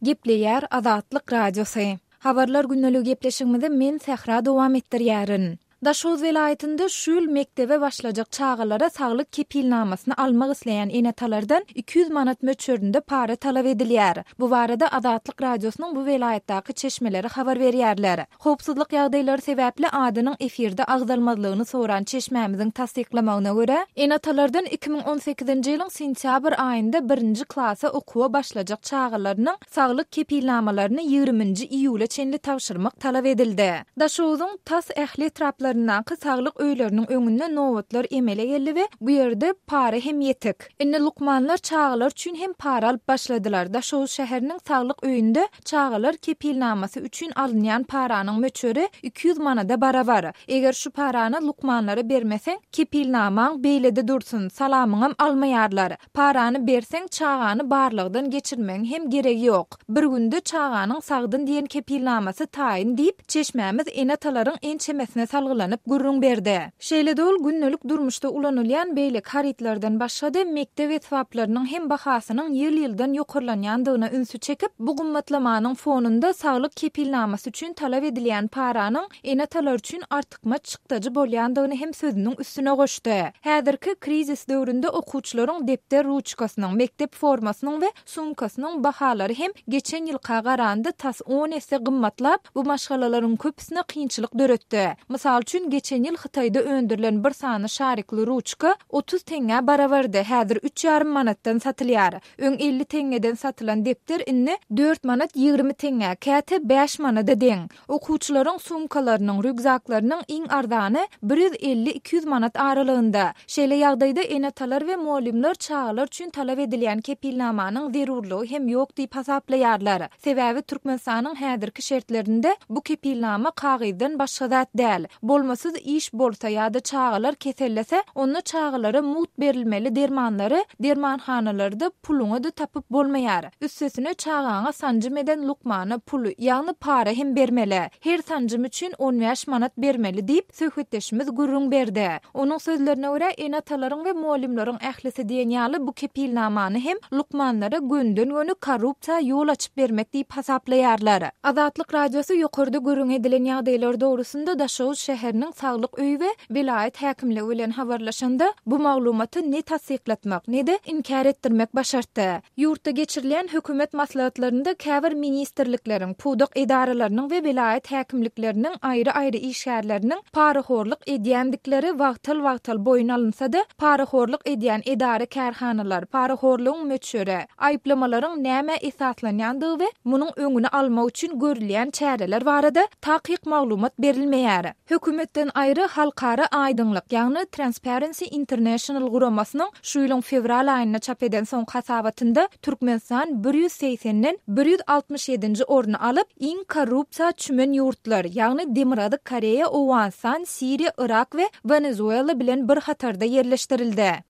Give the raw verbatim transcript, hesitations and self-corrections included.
Gepleýär Azatlyk Radiosy. Habarlar gündelik gepleşigimizi men Sähra dowam etdirýärin. Daşoguz welaýatynda şu ýyl mekdebe başlajak çagalara saglyk kepilnamasyny almak isleýän ene-atalardan iki ýüz manat möçberinde para talap edilýär. Bu barada Azatlyk Radiosynyň bu welaýatdaky çeşmeleri habar berýärler. Howpsuzlyk ýagdaýlary sebäpli adynyň efirde agzalmazlygyny soran çeşmämiziň tassyklamagyna görä, ene-atalardan iki müň on sekizinji ýylyň sentýabr aýynda birinji klasa okuwa başlajak çagalarynyň saglyk kepilnamalaryny ýigriminji iýula çenli tabşyrmak talap edildi. Daşoguzyň tas ähli etraplaryndaky saglyk öýleriniň öňünde nobatlar emele geldi we bu ýerde para hem ýetik. Indi lukmanlar çagalar üçin hem para alyp başladylar. Daşoguz şäheriniň saglyk öýünde çagalar kepilnamasy üçin alynýan paranyň möçberi iki ýüz manada barabar. Eger şu parany lukmanlara bermeseň, kepilnamaň beýlede dursun, salamyňam almaýarlar. Parany berseň, çagany barlagdan geçirmegiň hem geregi ýok. Bir günde çaganyň sagdyn diýen kepilnamasy taýyn diýip, çeşmämiz ene-atalaryň ençemesine salgylanyp gürrüň berdi. Şeýle-de ol gündelik durmuşda ulanylýan beýleki harytlardan başga-da mekdep esbaplarynyň hem bahasynyň ýyl-ýyldan ýokarlanýandygyna ünsi çekip, bu gymmatlamanyň fonunda saglyk kepilnamasy üçin talap edilýän paranyň ene-atalar üçin artykmaç çykdajy bolýandygyny hem sözüniň üstüne goşdy. Häzirki krizis döwründe okuwçylaryň depder ruçkasynyň, mekdep formasynyň we sumkasynyň bahalary hem geçen ýylka garanda tas on esse gymmatlap, bu maşgalalaryň köpüsine kynçylyk döretdi. Mysal üçin, geçen ýyl Hytaýda öndürilen bir sany şarikli ruçka otuz teňňä barabardy, häzir üç ýarym manatdan satylýar. Öň elli teňňeden satylan depder indi dört manat ýigrimi teňňä, käte bäş manada deň. Okuwçylaryň sumkalarynyň, rýukzaklarynyň iň arzany bir ýüz elli iki ýüz manat aralygynda. Şeýle ýagdaýda ene-atalar we mugallymlar çagalar üçin talap edilýän kepilnamanyň zerurlygy hem ýok diýip hasaplaýarlar. Sebäbi Türkmenistanyň häzirki şertlerinde bu kepilnama kagyzdan başga zat däl. Bolmasyz iş bolsa ýa-da çagalar kesellese, onda çagalara mugt berilmeli dermanlary dermanhanalarda puluňa da tapyp bolmaýar. Üstesine çagaňa sanjym eden lukmana puly, ýagny para hem bermeli. Her sanjym üçin on bäş manat bermeli diýip, söhbetdeşimiz gürrüň berdi. Onuň sözlerine görä, ene-atalaryň we mugallymlaryň ählisi diýen ýaly bu kepilnamany hem lukmanlara gönden-göni korrupsiýa ýol açyp bermek diýip hasaplaýarlar. Azatlyk Radiosy ýokarda gürrüň edilen ýagdaýlar dogrusynda Daşoguz şäheriniň saglyk öýi we welaýat häkimligi bilen habarlaşanda bu maglumaty ne tassyklatmak, ne-de inkär etdirmek başartdy. Ýurtda geçirilýän hökümet maslahatlarynda käbir ministrlikleriň, pudak edaralarynyň we welaýat häkimlikleriniň aýry-aýry işgärleriniň parahorluk edýändikleri wagtal-wagtal boýun alynsa-da, parahorluk edýän edara kärhanalar, parahorlugyň möçberi, aýyplamalaryň nämä esaslanýandygy we munuň öňüni almak üçin görülýän çäreler barada takyk maglumat berilmeýär. Hökümetden aýry halkara aýdyňlyk, ýagny Transparency International guramasynyň şu ýylyň fewral aýynda çap eden soňky hasabatynda Türkmenistan bir ýüz segsenden bir ýüz altmyş ýedinji orny alyp, iň korrupsiýa çümen ýurtlar, ýagny Demirgazyk Koreýa, Owganystan, Siriýa, Irak we Wenezuela bilen bir hatarda ýerleşdirildi.